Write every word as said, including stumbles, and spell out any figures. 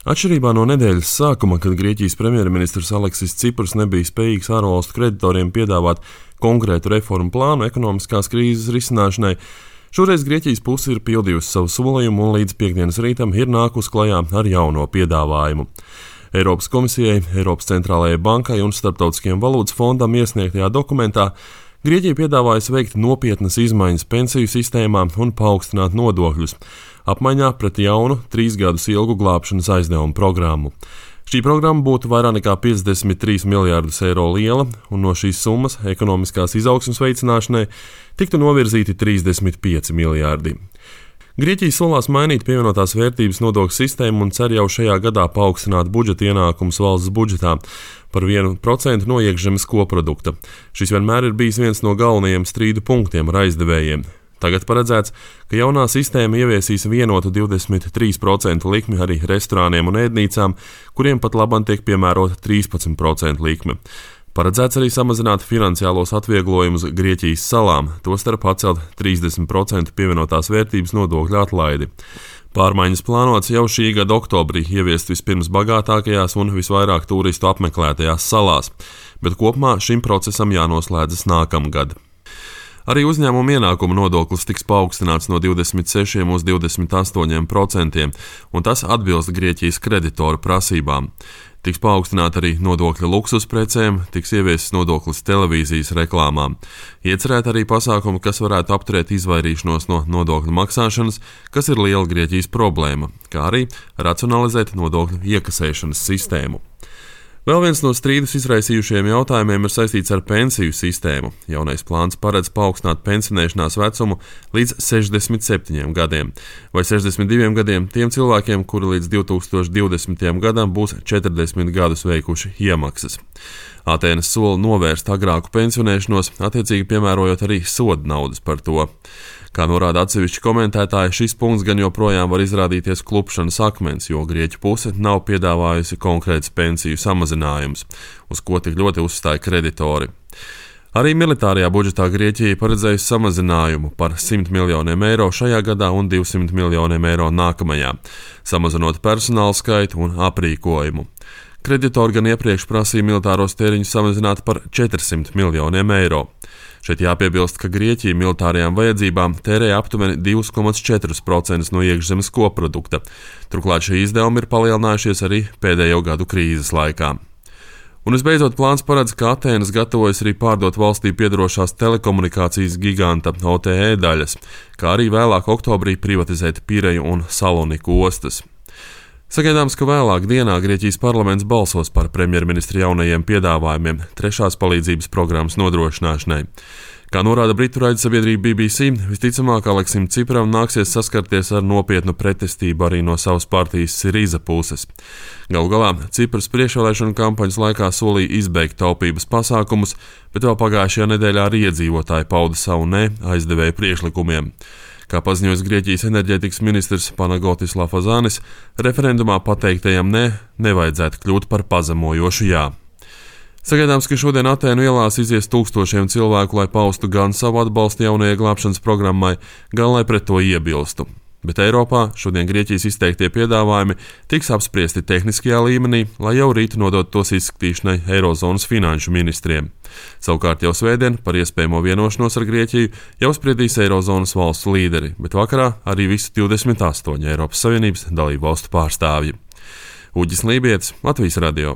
Atšķirībā no nedēļas sākuma, kad Grieķijas premjerministrs Aleksis Cipras nebija spējīgs ārvalstu kreditoriem piedāvāt konkrētu reformu plānu ekonomiskās krīzes risināšanai, šoreiz Grieķijas puse ir pildījusi savu solījumu un līdz piektdienas rītam ir nākus klajā ar jauno piedāvājumu. Eiropas komisijai, Eiropas centrālajai bankai un Starptautiskajam valūtas fondam iesniegtajā dokumentā Grieķija piedāvājas veikt nopietnas izmaiņas pensiju sistēmā un paaugstināt nodokļus, apmaiņā pret jaunu, trīs gadus ilgu glābšanas aizdevumu programmu. Šī programma būtu vairāk nekā piecdesmit trīs miljārdus eiro liela, un no šīs summas ekonomiskās izaugsmes veicināšanai tiktu novirzīti trīsdesmit pieci miljārdi. Grieķija solās mainīt pievienotās vērtības nodokļu sistēmu un cer jau šajā gadā paaugstināt budžeta ienākumus valsts budžetā par vienu procentu no iekšzemes koprodukta. Šis vienmēr ir bijis viens no galvenajiem strīdu punktiem ar aizdevējiem. Tagad paredzēts, ka jaunā sistēma ieviesīs vienotu divdesmit trīs procentu likmi arī restorāniem un ēdnīcām, kuriem pat labam tiek piemērota trīspadsmit procentu likme. Paredzēts arī samazināt finansiālos atvieglojumus Grieķijas salām, tostarp atcelt trīsdesmit procentu pievienotās vērtības nodokļu atlaidi. Pārmaiņas plānots jau šī gada oktobrī ieviest vispirms bagātākajās un visvairāk turistu apmeklētajās salās, bet kopumā šim procesam jānoslēdzas nākamgad. Arī uzņēmuma ienākuma nodoklis tiks paaugstināts no divdesmit sešiem uz divdesmit astoņiem procentiem, un tas atbilst Grieķijas kreditoru prasībām. Tiks paaugstināta arī nodokļa luksusprecēm, tiks ieviesis nodoklis televīzijas reklāmām. Iecerēt arī pasākumi, kas varētu apturēt izvairīšanos no nodokļu maksāšanas, kas ir liela Grieķijas problēma, kā arī racionalizēt nodokļu iekasēšanas sistēmu. Vēl viens no strīdus izraisījušiem jautājumiem ir saistīts ar pensiju sistēmu. Jaunais plāns paredz paaugstināt pensionēšanās vecumu līdz sešdesmit septiņiem gadiem, vai sešdesmit diviem gadiem tiem cilvēkiem, kuri līdz divi tūkstoši divdesmitajam gadam būs četrdesmit gadus veikuši iemaksas. Atēnas sola novērst agrāku pensionēšanos, attiecīgi piemērojot arī soda naudas par to. Kā norāda atsevišķi komentētāji, šis punkts gan joprojām var izrādīties klupšanas akmens, jo Grieķu puse nav piedāvājusi konkrēts pensiju samazinājums, uz ko tik ļoti uzstāja kreditori. Arī militārajā budžetā Grieķija paredzējusi samazinājumu par simt miljoniem eiro šajā gadā un divsimt miljoniem eiro nākamajā, samazinot personāla skaitu un aprīkojumu. Kreditori gan iepriekš prasīja militāros tēriņus samazināt par četrsimt miljoniem eiro. Šeit jāpiebilst, ka Grieķija militārajām vajadzībām tērē aptuveni divi komats četri procenti no iekšzemes koprodukta. Turklāt šie izdevumi ir palielinājušies arī pēdējo gadu krīzes laikā. Un visbeidzot, plāns paredz, ka Atēnas gatavojas arī pārdot valstī piedarošās telekomunikācijas giganta O T E daļas, kā arī vēlāk oktobrī privatizēt Pireju un Saloniku ostas. Sagaidāms, ka vēlāk dienā Grieķijas parlaments balsos par premjerministra jaunajiem piedāvājumiem trešās palīdzības programmas nodrošināšanai. Kā norāda britu raidsabiedrība B B C, visticamāk Aleksim Cipram nāksies saskarties ar nopietnu pretestību arī no savas partijas Siriza puses. Galu galā Cipras priekšvēlēšanu kampaņas laikā solīja izbeigt taupības pasākumus, bet vēl pagājušajā nedēļā arī iedzīvotāji pauda savu ne aizdevēju priekšlikumiem. Kā paziņojas Grieķijas enerģētikas ministrs Panagotis Lafazanis, referendumā pateiktajam ne nevajadzētu kļūt par pazemojošu jā. Sagaidāms, ka šodien Atēnu ielās izies tūkstošiem cilvēku, lai paustu gan savu atbalstu jaunajai glābšanas programmai, gan lai pret to iebilstu. Bet Eiropā šodien Grieķijas izteiktie piedāvājumi tiks apspriesti tehniskajā līmenī, lai jau rīt nodot tos izskatīšanai Eirozonas finanšu ministriem. Savukārt jau svētdien par iespējamo vienošanos ar Grieķiju jau spriedīs Eirozonas valstu līderi, bet vakarā arī visu divdesmit astoņu Eiropas Savienības dalību valstu pārstāvji. Uģis Lībietis, Latvijas radio.